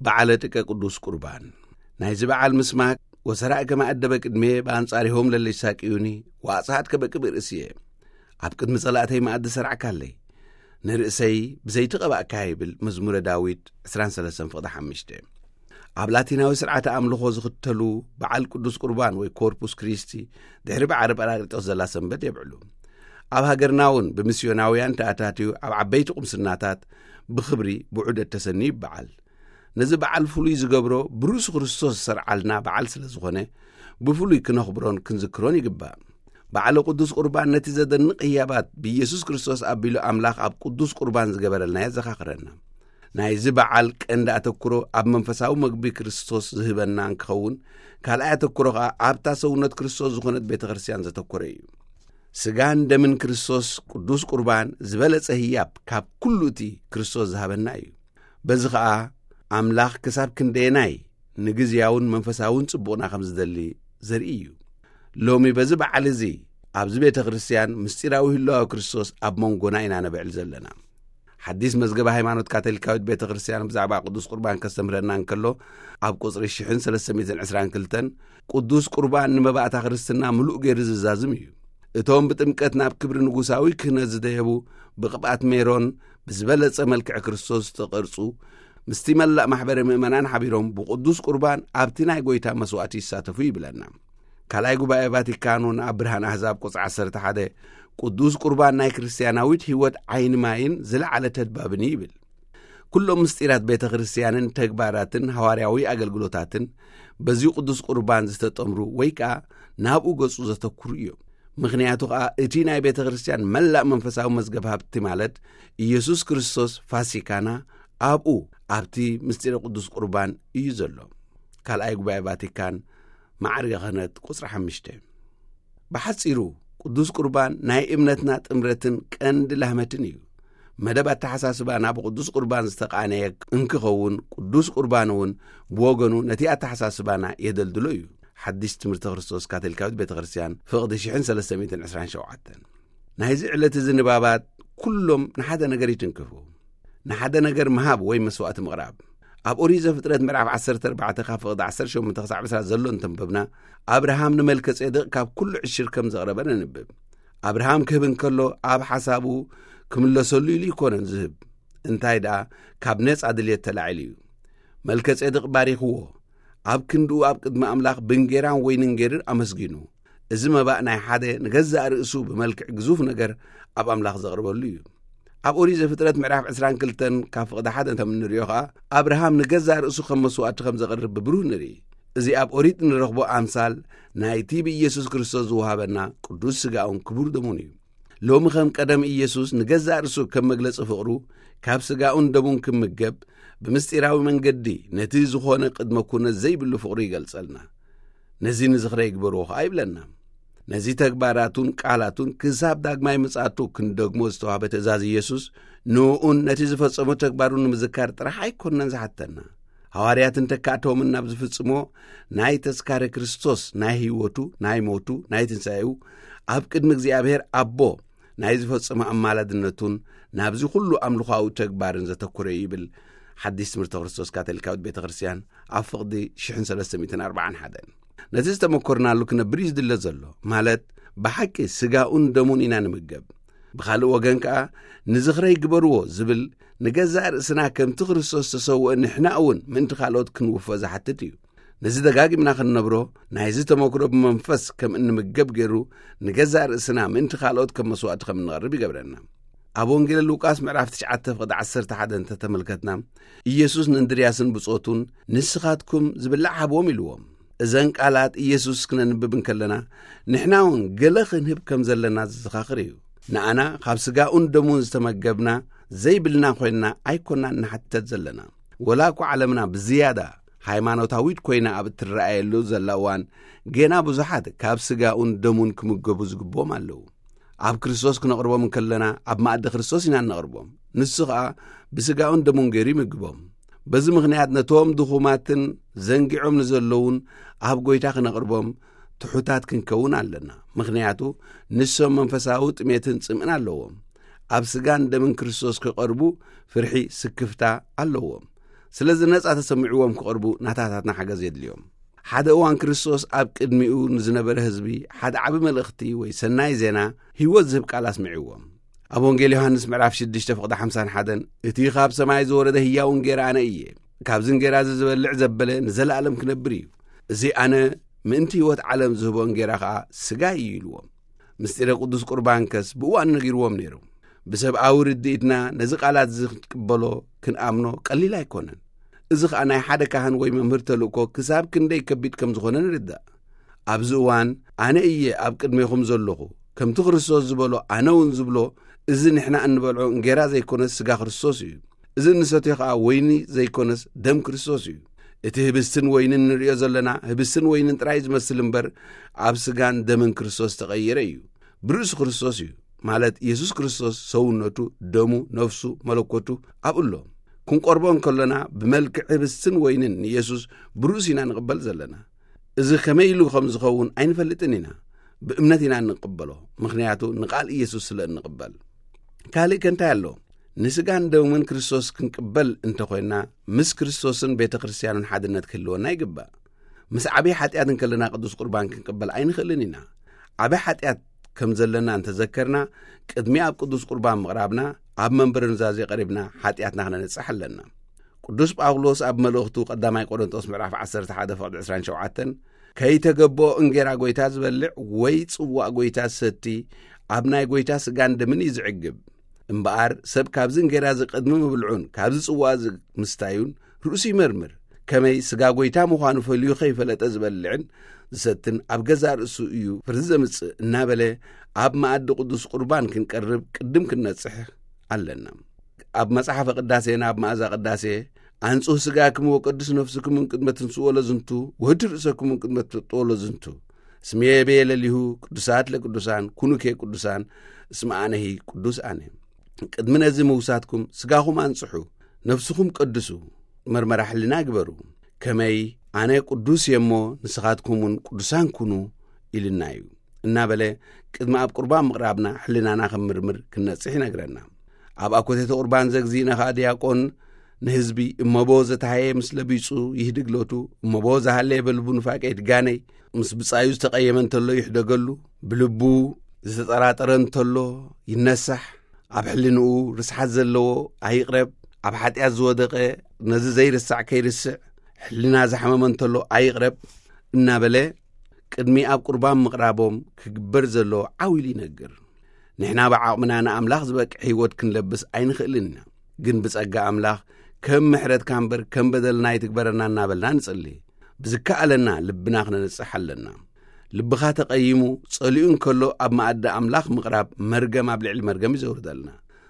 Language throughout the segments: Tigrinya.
በዓለ ጥቀ ቅዱስ ቁርባን። ናይዚ በዓል ምስማክ፣ "ወሰራእከ ማእደበ ቅድሜ በአንጻሪሆም ለለይሳቅዩኒ፣ ወአጽሐጥከ በቅብእ ርእስየ"፣ ኣብ ቅድሚ ጸላእተይ መኣዲ ሰርዕካለይ፣ ንርእሰይ ብዘይቲ ቀባእካ፣ ይብል መዝሙረ ዳዊት ዕስራን ሰለስተን ፍቕዲ ሓሙሽተ። ኣብ ላቲናዊ ስርዓተ ኣምልኾ ዝኽተሉ በዓል ቅዱስ ቁርባን ወይ ኮርፑስ ክሪስቲ ድሕሪ በዓል ጳራቅሊጦስ ዘላ ሰንበት የብዕሉ። ኣብ ሃገርና እውን ብሚስዮናውያን ተኣታትዩ ኣብ ዓበይቲ ቁምስናታት ብኽብሪ ብዑደት ተሰንዩ ይበዓል። ነዚ በዓል ፍሉይ ዝገብሮ ብርእሱ ክርስቶስ ዝሰርዓልና በዓል ስለ ዝኾነ፣ ብፍሉይ ክነኽብሮን ክንዝክሮን ይግባእ። በዓለ ቅዱስ ቁርባን ነቲ ዘደንቕ ህያባት ብኢየሱስ ክርስቶስ ኣቢሉ ኣምላኽ ኣብ ቅዱስ ቁርባን ዝገበረልና የዘኻኽረና። ናይዚ በዓል ቀንዲ ኣተኩሮ ኣብ መንፈሳዊ መግቢ ክርስቶስ ዝህበና እንክኸውን፣ ካልኣይ ኣተኩሮ ኸኣ ኣብታ ሰውነት ክርስቶስ ዝኾነት ቤተ ክርስቲያን ዘተኮረ እዩ። ስጋን ደምን ክርስቶስ ቅዱስ ቁርባን ዝበለጸ ህያብ ካብ ኩሉ እቲ ክርስቶስ ዝሃበና እዩ። በዚ ኸኣ ኣምላኽ ክሳብ ክንደየናይ ንግዝያውን መንፈሳውን ጽቡቕና ከም ዝደሊ ዘርኢ እዩ። ሎሚ በዚ በዓል እዚ ኣብዚ ቤተ ክርስቲያን ምስጢራዊ ህላወ ክርስቶስ ኣብ መንጎና ኢና ነብዕል ዘለና። ሓዲስ መዝገበ ሃይማኖት ካቶሊካዊት ቤተ ክርስቲያን ብዛዕባ ቅዱስ ቁርባን ከስተምህረና እንከሎ፣ ኣብ ቁጽሪ ሽሕን ሰለስተ ሚእትን ዕስራን ክልተን፣ ቅዱስ ቁርባን ንመባእታ ክርስትና ምሉእ ገይሩ ዝዛዝም እዩ። እቶም ብጥምቀት ናብ ክብሪ ንጉሳዊ ክህነት ዝደየቡ ብቕብኣት ሜሮን ብዝበለጸ መልክዕ ክርስቶስ ዝተቐርጹ፣ ምስቲ መላእ ማሕበረ ምእመናን ሓቢሮም ብቅዱስ ቁርባን ኣብቲ ናይ ጎይታ መስዋእቲ ይሳተፉ ይብለና። ካልኣይ ጉባኤ ቫቲካን እውን ኣብ ብርሃን ኣህዛብ ቁጽሪ ዓሰርተ ሓደ፣ ቅዱስ ቁርባን ናይ ክርስትያናዊት ህይወት ዓይኒ ማይን ዝለዓለ ተድባብን እዩ ይብል። ኩሎም ምስጢራት ቤተ ክርስቲያንን ተግባራትን ሃዋርያዊ ኣገልግሎታትን በዚ ቅዱስ ቁርባን ዝተጠምሩ ወይ ከኣ ናብኡ ገጹ ዘተኩሩ እዮም። ምኽንያቱ ከኣ እቲ ናይ ቤተ ክርስቲያን መላእ መንፈሳዊ መዝገብ ሃብቲ ማለት ኢየሱስ ክርስቶስ ፋሲካና ኣብኡ ኣብቲ ምስጢረ ቅዱስ ቁርባን እዩ ዘሎ። ካልኣይ ጉባኤ ቫቲካን ማዕርገ ክህነት ቁጽሪ ሓሙሽተ። ብሓጺሩ ቅዱስ ቁርባን ናይ እምነትና ጥምረትን ቀንዲ ላህመትን እዩ። መደብ ኣተሓሳስባና ብቅዱስ ቁርባን ዝተቃነየ እንክኸውን፣ ቅዱስ ቁርባን እውን ብወገኑ ነቲ ኣተሓሳስባና የደልድሎ እዩ። ሓዲስ ትምህርቲ ክርስቶስ ካቶሊካዊት ቤተ ክርስቲያን ፍቕዲ ሽሕን ሰለስተ ሚእትን ዕስራን ሸውዓተን። ናይዚ ዕለት እዚ ንባባት ኩሎም ንሓደ ነገር ይትንክፉ። ንሓደ ነገር ምሃብ ወይ መስዋእቲ ምቕራብ። ኣብ ኦሪት ዘፍጥረት ምዕራፍ ዓሰርተ ኣርባዕተ ካብ ፍቕዲ ዓሰርተ ሸሞንተ ክሳብ ዕስራ ዘሎ እንተንበብና፣ ኣብርሃም ንመልከጼዴቅ ካብ ኩሉ ዕሽር ከም ዘቕረበ ነንብብ። ኣብርሃም ክህብ እንከሎ ኣብ ሓሳቡ ክምለሰሉ ኢሉ ይኮነን ዝህብ። እንታይ ደኣ፣ ካብ ነጻ ድልየት ተላዒሉ እዩ። መልከጼዴቅ ባሪኽዎ፣ ኣብ ክንድኡ ኣብ ቅድሚ ኣምላኽ ብንጌራን ወይንን ጌርን ኣመስጊኑ። እዚ መባእ ናይ ሓደ ንገዛእ ርእሱ ብመልክዕ ግዙፍ ነገር ኣብ ኣምላኽ ዘቕርበሉ እዩ። ኣብ ኦሪት ዘፍጥረት ምዕራፍ ዕስራን ክልተን ካብ ፍቕዲ ሓደ ከም እንርእዮ ኸኣ፣ ኣብርሃም ንገዛእ ርእሱ ከም መስዋእቲ ከም ዘቕርብ ብብሩህ ንርኢ። እዚ ኣብ ኦሪት እንረኽቦ ኣምሳል ናይቲ ብኢየሱስ ክርስቶስ ዝወሃበና ቅዱስ ስጋኡን ክቡር ደሙን እዩ። ሎሚ ከም ቀደም ኢየሱስ ንገዛእ ርእሱ ከም መግለጺ ፍቕሩ ካብ ስጋኡን ደሙን ክምገብ ብምስጢራዊ መንገዲ ነቲ ዝኾነ ቅድመ ኩነት ዘይብሉ ፍቕሩ ይገልጸልና። ነዚ ንዝኽረ ይግበርዎ ኸኣ ይብለና። ነዚ ተግባራቱን ቃላቱን ክሳብ ዳግማይ ምጽኣቱ ክንደግሞ ዝተዋህበ ትእዛዝ ኢየሱስ ንእኡን ነቲ ዝፈጸሞ ተግባሩን ንምዝካር ጥራሕ ኣይኮነን ዝሓተና። ሃዋርያትን ተካእቶምን ናብ ዝፍጽሞ ናይ ተስካረ ክርስቶስ፣ ናይ ህይወቱ፣ ናይ ሞቱ፣ ናይ ትንሳኤኡ፣ ኣብ ቅድሚ እግዚኣብሔር ኣቦ ናይ ዝፈጸሞ ኣማላድነቱን ናብዚ ኩሉ ኣምልኾዊ ተግባርን ዘተኮረ እዩ ይብል ሓዲስ ትምህርቲ ክርስቶስ ካቶሊካዊት ቤተ ክርስቲያን ኣብ ፍቕዲ ሽሕን ሰለስተ ሚእትን ኣርባዓን ሓደን። ነቲ ዝተመኮርናሉ ክነብር እዩ ዝድለ ዘሎ፣ ማለት ብሓቂ ስጋኡን ደሙን ኢና ንምገብ። ብኻልእ ወገን ከኣ ንዝኽረይ ግበርዎ ዝብል ንገዛእ ርእስና ከምቲ ክርስቶስ ዝተሰውአ ንሕና እውን ምእንቲ ካልኦት ክንውፈ ዝሓትት እዩ። ነዚ ደጋጊምና ክንነብሮ፣ ናይዚ ተመክሮ ብመንፈስ ከም እንምገብ ገይሩ ንገዛእ ርእስና ምእንቲ ካልኦት ከም መስዋእቲ ከም እንቐርብ ይገብረና። ኣብ ወንጌል ሉቃስ ምዕራፍ ትሽዓተ ፍቕዲ ዓሰርተ ሓደ እንተተመልከትና፣ ኢየሱስ ንእንድርያስን ብጾቱን "ንስኻትኩም ዝብላዕ ሃብዎም" ኢልዎም። እዘን ቃላት ኢየሱስ ክነንብብ እንከለና፣ ንሕና እውን ገለ ክንህብ ከም ዘለና ዘዘኻኽር እዩ። ንኣና ካብ ስጋኡን ደሙን ዝተመገብና ዘይብልና ኮይንና ኣይኮናን ንሓተት ዘለና። ወላ እኳ ዓለምና ብዝያዳ ሃይማኖታዊት ኮይና ኣብ እትረኣየሉ ዘላ እዋን፣ ገና ብዙሓት ካብ ስጋኡን ደሙን ክምገቡ ዝግብኦም ኣለዉ። ኣብ ክርስቶስ ክነቕርቦም እንከለና፣ ኣብ መኣዲ ክርስቶስ ኢና እነቕርቦም። ንሱ ኸኣ ብስጋኡን ደሙን ገይሩ ይምግቦም። በዚ ምኽንያት ነቶም ድኹማትን ዘንጊዖም ንዘለዉን ኣብ ጐይታ ክነቕርቦም ትሑታት ክንከውን ኣለና። ምኽንያቱ ንሶም መንፈሳዊ ጥሜትን ጽምእን ኣለዎም። ኣብ ስጋን ደምን ክርስቶስ ክቐርቡ ፍርሒ ስክፍታ ኣለዎም። ስለዚ ነጻ ተሰሚዕዎም ክቐርቡ ናታታትና ሓገዝ የድልዮም። ሓደ እዋን ክርስቶስ ኣብ ቅድሚኡ ንዝነበረ ህዝቢ ሓደ ዓቢ መልእኽቲ ወይ ሰናይ ዜና ህይወት ዝህብ ቃል ኣስምዕዎም። ኣብ ወንጌል ዮሃንስ ምዕራፍ ሽዱሽተ ፍቕዲ ሓምሳን ሓደን፣ "እቲ ካብ ሰማይ ዝወረደ ህያው እንጌራ ኣነ እየ። ካብዚ እንጌራ እዚ ዝበልዕ ዘበለ ንዘለኣለም ክነብር እዩ። እዚ ኣነ ምእንቲ ህይወት ዓለም ዝህቦ እንጌራ ኸኣ ስጋይ እዩ" ኢልዎም። ምስጢረ ቅዱስ ቁርባንከስ ብእዋኑ ነጊርዎም ነይሩ። ብሰብኣዊ ርድኢትና ነዚ ቃላት እዚ ክንቅበሎ፣ ክንኣምኖ ቀሊል ኣይኮነን። እዚ ኸኣ ናይ ሓደ ካህን ወይ መምህር ተልእኮ ክሳብ ክንደይ ከቢድ ከም ዝኾነ ንርዳእ። ኣብዚ እዋን ኣነ እየ ኣብ ቅድሜኹም ዘለኹ፣ ከምቲ ክርስቶስ ዝበሎ ኣነ እውን ዝብሎ፣ እዚ ንሕና እንበልዖ እንጌራ ዘይኮነስ ስጋ ክርስቶስ እዩ። እዚ እንሰትዮ ኸኣ ወይኒ ዘይኮነስ ደም ክርስቶስ እዩ። እቲ ህብስትን ወይንን ንርእዮ ዘለና ህብስትን ወይንን ጥራይ ዝመስል እምበር ኣብ ስጋን ደምን ክርስቶስ ዝተቐየረ እዩ። ብርእሱ ክርስቶስ እዩ፣ ማለት የሱስ ክርስቶስ ሰውነቱ፣ ደሙ፣ ነፍሱ፣ መለኮቱ ኣብኡ ኣሎ። ክንቆርቦ እንከለና ብመልክዕ ህብስትን ወይንን ንየሱስ ብርእሱ ኢና ንቕበል ዘለና። እዚ ከመይ ኢሉ ከም ዝኸውን ኣይንፈልጥን ኢና። ብእምነት ኢና እንቕበሎ፣ ምኽንያቱ ንቓል ኢየሱስ ስለ እንቕበል። ካልእ ከ እንታይ ኣሎ? ንስጋን ደምን ክርስቶስ ክንቅበል እንተኾይንና፣ ምስ ክርስቶስን ቤተ ክርስቲያኑን ሓድነት ክህልወና ይግባእ። ምስ ዓብዪ ሓጢኣት እንከለና ቅዱስ ቁርባን ክንቅበል ኣይንኽእልን ኢና። ዓቢ ሓጢኣት ከም ዘለና እንተዘከርና፣ ቅድሚ ኣብ ቅዱስ ቁርባን ምቕራብና፣ ኣብ መንበረ ኑዛዜ ቀሪብና ሓጢኣትና ክነነጽሕ ኣለና። ቅዱስ ጳውሎስ ኣብ መልእኽቱ ቀዳማይ ቆሮንቶስ ምዕራፍ ዓሰርተ ሓደ ፍቕዲ ዕስራን ሸውዓተን፣ "ከይተገብኦ እንጌራ ጐይታ ዝበልዕ ወይ ጽዋእ ጐይታ ዝሰቲ ኣብ ናይ ጐይታ ስጋን ደምን እዩ ዝዕግብ። እምበኣር ሰብ ካብዚ እንጌራ እዚ ቅድሚ ምብልዑን ካብዚ ጽዋእ እዚ ምስታዩን ርእሱ ይመርምር። ከመይ ስጋ ጐይታ ምዃኑ ፈልዩ ከይፈለጠ ዝበልዕን ዝሰትን ኣብ ገዛእ ርእሱ እዩ ፍርዲ ዘምጽእ" እናበለ፣ ኣብ መኣዲ ቅዱስ ቁርባን ክንቀርብ ቅድም ክንነጽሕ ኣለና። ኣብ መጽሓፈ ቅዳሴና ኣብ መኣዛ ቅዳሴ፣ "ኣንጹህ ስጋክሙ ወቀድስ ነፍስክሙ እምቅድመ ትንስኡ ለዝንቱ፣ ወህድ ርእሰክሙ እምቅድመ ትወጥኡ ለዝንቱ፣ ስሜ ቤ ለሊሁ ቅዱሳት ለቅዱሳን፣ ኩኑኬ ቅዱሳን፣ እስመ ኣነሂ ቅዱስ ኣነ።" ቅድሚ ነዚ ምውሳትኩም ስጋኹም ኣንጽሑ፣ ነፍስኹም ቀድሱ፣ መርመራ ሕልና ግበሩ። ከመይ ኣነ ቅዱስ እየ እሞ ንስኻትኩም እውን ቅዱሳን ኩኑ ኢልና እዩ እናበለ፣ ቅድሚ ኣብ ቁርባን ምቕራብና ሕልናና ከም ምርምር ክንነጽሕ ይነግረና። ኣብ ኣኮቴተ ቁርባን ዘግዚእና ኸኣ ዲያቆን ንህዝቢ እመቦ ዘተሃየ ምስ ለቢጹ ይህድግ ሎቱ፣ እመቦ ዝሃለየ በልቡ ንፋቄ ይትጋነይ፣ ምስ ብጻዩ ዝተቐየመ እንተሎ ይሕደገሉ፣ ብልቡ ዝተጠራጠረ እንተሎ ይነሳሕ፣ ኣብ ሕልንኡ ርስሓት ዘለዎ ኣይቕረብ፣ ኣብ ሓጢኣት ዝወደቐ ነዚ ዘይርሳዕ ከይርስዕ፣ ሕልና ዝሓመመ እንተሎ ኣይቕረብ እናበለ ቅድሚ ኣብ ቁርባን ምቕራቦም ክግበር ዘሎ ዓው ኢሉ ይነግር። ንሕና ብዓቕምና ንኣምላኽ ዝበቅዕ ህይወት ክንለብስ ኣይንኽእልን ኢና። ግን ብጸጋ ኣምላኽ ከም ምሕረትካ እምበር ከም በደልና ኣይትግበረና እናበልና ንጽሊ። ብዝከኣለና ልብና ክነንጽሕ ኣለና። ልብኻ ተቐይሙ ጸሊኡ እንከሎ ኣብ መኣዲ ኣምላኽ ምቕራብ መርገም ኣብ ልዕሊ መርገም እዩ ዘውርደልና።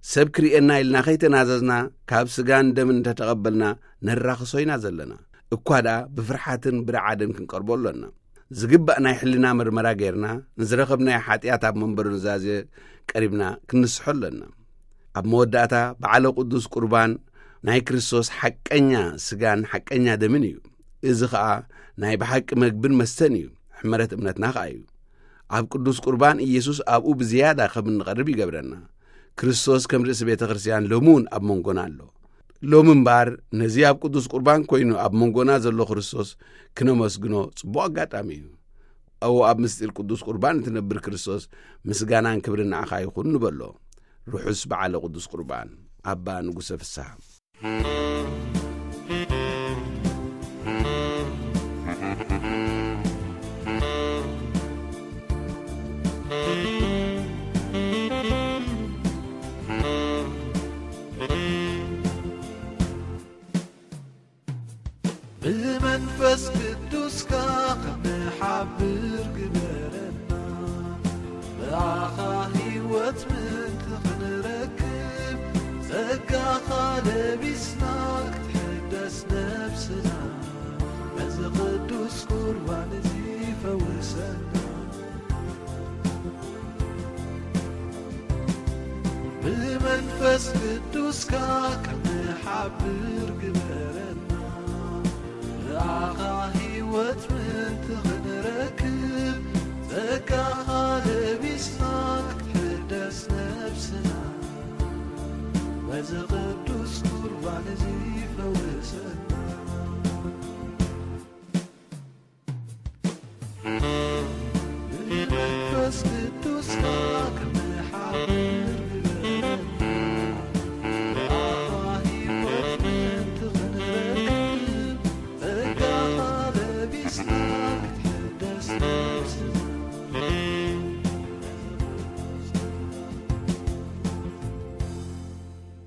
ሰብ ክርእየና ኢልና ከይተናዘዝና ካብ ስጋን ደምን እንተተቐበልና ነራኽሶ ኢና ዘለና። እኳ ደኣ ብፍርሓትን ብረዓድን ክንቀርቦ ኣሎና። ዝግባእ ናይ ሕልና መርመራ ጌርና ንዝረኸብናዮ ሓጢኣት ኣብ መንበሩ ኑዛዜ ቀሪብና ክንስሖ ኣሎና። ኣብ መወዳእታ በዓለ ቅዱስ ቁርባን ናይ ክርስቶስ ሓቀኛ ስጋን ሓቀኛ ደምን እዩ። እዚ ኸኣ ናይ ብሓቂ መግብን መስተን እዩ፣ ሕመረት እምነትና ኸኣ እዩ። ኣብ ቅዱስ ቁርባን ኢየሱስ ኣብኡ ብዝያዳ ከም እንቐርብ ይገብረና። ክርስቶስ ከም ርእሲ ቤተ ክርስቲያን ሎሚ እውን ኣብ መንጎና ኣሎ። ሎሚ እምበኣር ነዚ ኣብ ቅዱስ ቁርባን ኮይኑ ኣብ መንጎና ዘሎ ክርስቶስ ክነመስግኖ ጽቡቕ ኣጋጣሚ እዩ። ኣብኡ ኣብ ምስጢር ቅዱስ ቁርባን እትነብር ክርስቶስ ምስጋናን ክብርን ንዓኻ ይኹን ንበሎ። ርሑስ በዓለ ቅዱስ ቁርባን። ኣባ ንጉሰ ፍስሃ። ብመንፈስ ቅዱስካ ክንሓብር ግበረና፣ ብኣኻ ህይወት ምእንቲ ክንረክብ፣ ጸጋኻ ለቢስና ክትሕደስ ነብስና፣ በዚ ቅዱስ ቁርባን እዚ ፈውሰና። ብመንፈስ ቅዱስካ ክንሓብር ግበረና፣ ብኣኻ ህይወት ምእንቲ ክንረክብ፣ ጸጋኻ ለቢስና ክትሕደስ ነብስና፣ በዚ ቅዱስ ቁርባን እዚ ፈውስ። ብመንፈስ ቅዱስካ ክንሓብር ግበረና። ብኣኻ ህይወት ምእንቲ ክንረክብ፣ ጸጋኻ ለቢስና ክትሕደስ ነብስና።